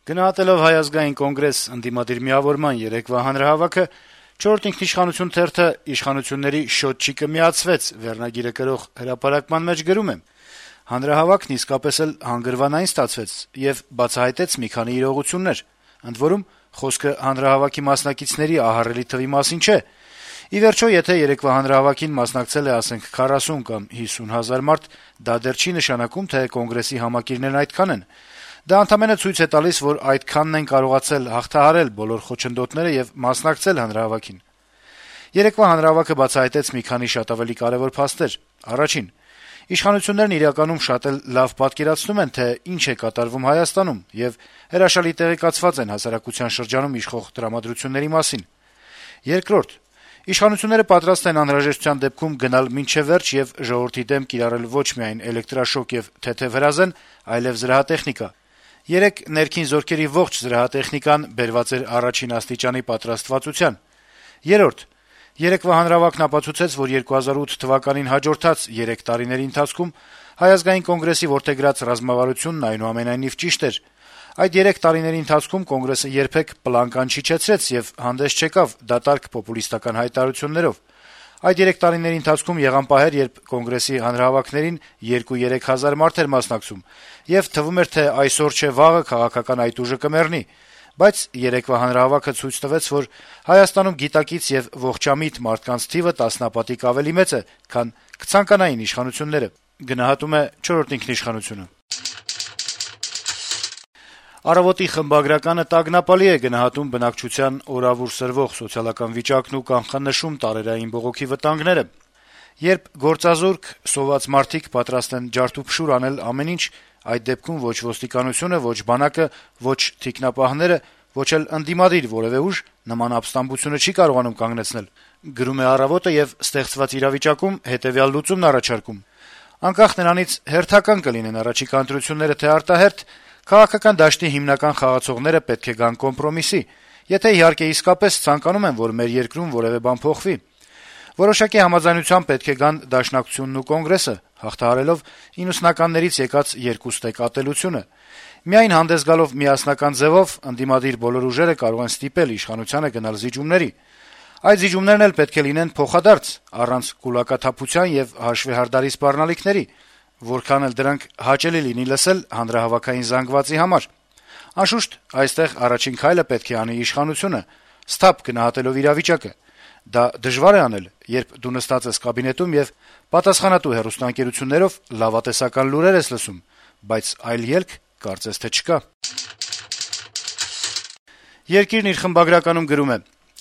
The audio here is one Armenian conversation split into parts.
Գնահատելով Հայ ազգային կոնգրես ընդդիմադիր միավորման երեկվա հանրահավաքը, «Չորրորդ ինքնիշխանություն» թերթը «Իշխանությունների շոտչիկը միացվեց» վերնագիրը կրող հրապարակման մեջ գրում է. - «Հանրահավաքն իսկապես էլ հանգրվանային ստացվեց եւ բացահայտեց մի քանի իրողություններ, ընդ որում խոսքը հանրահավաքի մասնակիցների ահռելի թվի մասին չէ։ Ի վերջո, եթե երեկվա հանրահավաքին մասնակցել է, ասենք, 40 կամ 50 հազար մարդ, դա դեռ չի նշանակում, թե կոնգրեսի համակիրներն այդքան են։ Դա ընդամենը ցույց է տալիս, որ այդքանն են կարողացել հաղթահարել բոլոր խոչընդոտները եւ մասնակցել հանրահավաքին։ Երեկվա հանրահավաքը բացահայտեց մի քանի շատ ավելի կարեւոր փաստեր։ Առաջին. իշխանություններն իրականում շատ էլ լավ պատկերացնում են, թե ինչ է կատարվում Հայաստանում եւ հրաշալի տեղեկացված են հասարակության շրջանում իշխող տրամադրությունների մասին։ Երկրորդ. իշխանությունները պատրաստ են անհրաժեշտության դեպքում գնալ մինչեւ վերջ եւ ժողովրդի դեմ կիրառել ոչ միայն էլեկտրաշոկ եւ թեթեւ հրազեն, այլեւ զրահատեխնիկա։ Երեկ ներքին զորքերի ողջ զրահատեխնիկան բերված էր առաջին աստիճանի պատրաստվածության։ Երրորդ. երեկվա հանրահավաքն ապացուցեց, որ 2008 թվականին հաջորդած 3 տարիների ընթացքում Հայ ազգային կոնգրեսի որդեգրած ռազմավարությունն այնուամենայնիվ ճիշտ էր։ Այդ 3 տարիների ընթացքում կոնգրեսը երբեք պլանկան չիջեցրեց եւ հանդես չեկավ դատարկ պոպուլիստական հայտարարություններով։ Այդ 3 տարիների ընթացքում եղան պահեր, երբ կոնգրեսի հանրահավաքներին 2-3 հազար մարդ էր մասնակցում, եւ թվում էր, թե այսօր չէ վաղը քաղաքական այդ ուժը կմեռնի։ Բայց երեկվա հանրահավաքը ցույց տվեց, որ Հայաստանում գիտակից եւ ողջամիտ մարդկանց թիվը տասնապատիկ ավելի մեծ է, քան կցանկանային իշխանությունները։ Գնահատում է «Չորրորդ ինքնիշխանություն»-ը։ «Առավոտ»-ի խմբագրականը տագնապալի է գնահատում բնակչության օրավուր սրվող սոցիալական վիճակն ու կանխանշում տարերային բողոքի վտանգները։ Երբ գործազուրկ, սոված մարդիկ պատրաստ են ջարդուփշուր անել ամեն ինչ, այդ դեպքում ոչ ոստիկանությունը, ոչ բանակը, ոչ թիկնապահները, ոչ էլ ընդդիմադիր որեւէ ուժ նման ապստամբությունը չի կարողանում կանգնեցնել, գրում է «Առավոտ»-ը եւ ստեղծված իրավիճակում հետեւյալ լուծումն առաջարկում. անկախ նրանից հերթական կլինեն առաջիկա ընտրությունները թե արտահերթ, քաղաքական դաշտի հիմնական խաղացողները պետք է գան կոմպրոմիսի, եթե իհարկե իսկապես ցանկանում են, որ մեր երկրում որեւէ բան փոխվի։ Որոշակի համաձայնությամբ պետք է գան Դաշնակցությունն ու Կոնգրեսը, հաղթահարելով 90-ականներից եկած երկուստեք ատելությունը։ Միայն հանդես գալով միասնական ձևով ընդդիմադիր բոլոր ուժերը կարող են ստիպել իշխանությանը գնալ զիջումների։ Այդ զիջումներն էլ պետք է լինեն փոխադարձ, առանց կուլակաթափության եւ հաշվեհարդարի սպառնալիքների, որքան էլ դրանք հաճելի լինի լսել հանրահավաքային զանգվածի համար։ Անշուշտ, այստեղ առաջին քայլը պետք է անի իշխանությունը, սթափ գնահատելով իրավիճակը։ Դա դժվար է անել, երբ դու նստած ես կաբինետում եւ պատասխանատու հեռուստաընկերություններով լավատեսական լուրեր ես լսում, բայց այլ ելք կարծես թե չկա։ Երկիրն իր խմբագրականում գրում է.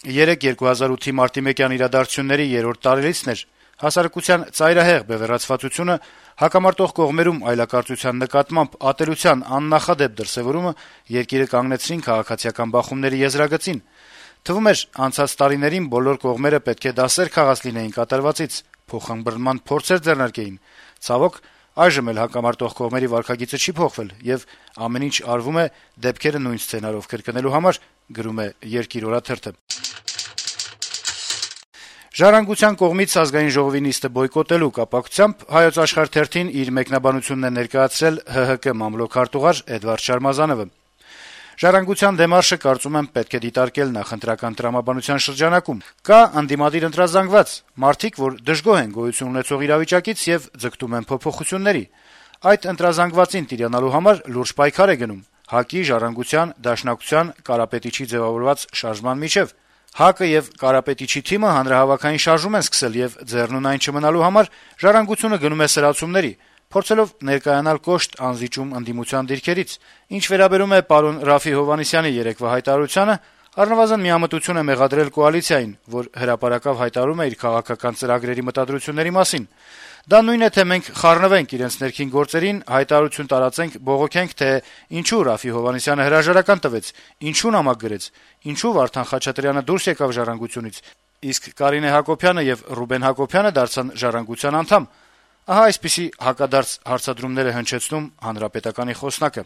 երեկ 2008-ի մարտի 1-յան իրադարձությունների 3-րդ տարելիցն էր։ Հասարակության ծայրահեղ բևեռացվածությունը, հակամարտող կողմերում այլակարծության նկատմամբ ատելության աննախադեպ դրսեւորումը երկիրը կանգնեցրին քաղաքացիական բախումների եզրագծին։ Թվում էր, անցած տարիներին բոլոր կողմերը պետք է դասեր քաղած լինեին կատարվածից, փոխանբռնման փորձեր ձեռնարկեին։ Ցավոք, այժմ էլ հակամարտող կողմերի վարքագիծը չի փոխվել եւ ամեն ինչ արվում է դեպքերը նույն սցենարով կրկնելու համար, գրում է «Երկիր» օրաթերթը։ Ժառանգության կողմից Ազգային ժողովի նիստը բոյկոտելու կապակցությամբ Հայոց Աշխարհ թերթին իր մեկնաբանությունն է ներկայացրել ՀՀԿ մամլոք-արտուղար Էդվարդ Շարմազանովը։ Ժառանգության դեմարշը, կարծում եմ, պետք է դիտարկել նախընտրական տրամաբանության շրջանակում։ Կա ընդդիմադիր ընտրազանգված մարդիկ, որ դժգոհ են գոյություն ունեցող իրավիճակից եւ ձգտում են փոփոխությունների։ Այդ ընտրազանգվածին տիրանալու համար լուրջ պայքար է գնում ՀԱԿ-ի, Ժառանգության, Դաշնակցության, Կարապետիչի ձեւավորված շարժման միջեւ։ ՀԱԿ-ը եւ Կարապետիչի թիմը հանրահավաքային շարժում են սկսել եւ ձեռնուն այն չմնալու համար Ժառանգությունը գնում է սրացումների, փորձելով ներկայանալ կոշտ անզիջում ընդդիմության դիրքերից։ Ինչ վերաբերում է պարոն Ռաֆի Հովհաննիսյանի երեկվա հայտարարությանը, առնվազն միամտություն է մեղադրել կոալիցիային, որ հրապարակավ հայտարարում է իր քաղաքական ծրագրերի մտադրությունների մասին։ Դա նույնն է, թե մենք խառնվենք իրենց ներքին գործերին, հայտարարություն տարածենք, բողոքենք, թե ինչու Ռաֆի Հովհաննիսյանը հրաժարական տվեց, ինչու նամակ գրեց, ինչու Վարդան Խաչատրյանը դուրս եկավ Ժառանգությունից, իսկ Կարինե Հակոբյանը եւ Ռուբեն Հակոբյանը դարձան Ժառանգության անդամ։ Ահա այսպիսի հակադարձ հարցադրումներ է հնչեցնում Հանրապետականի խոսնակը։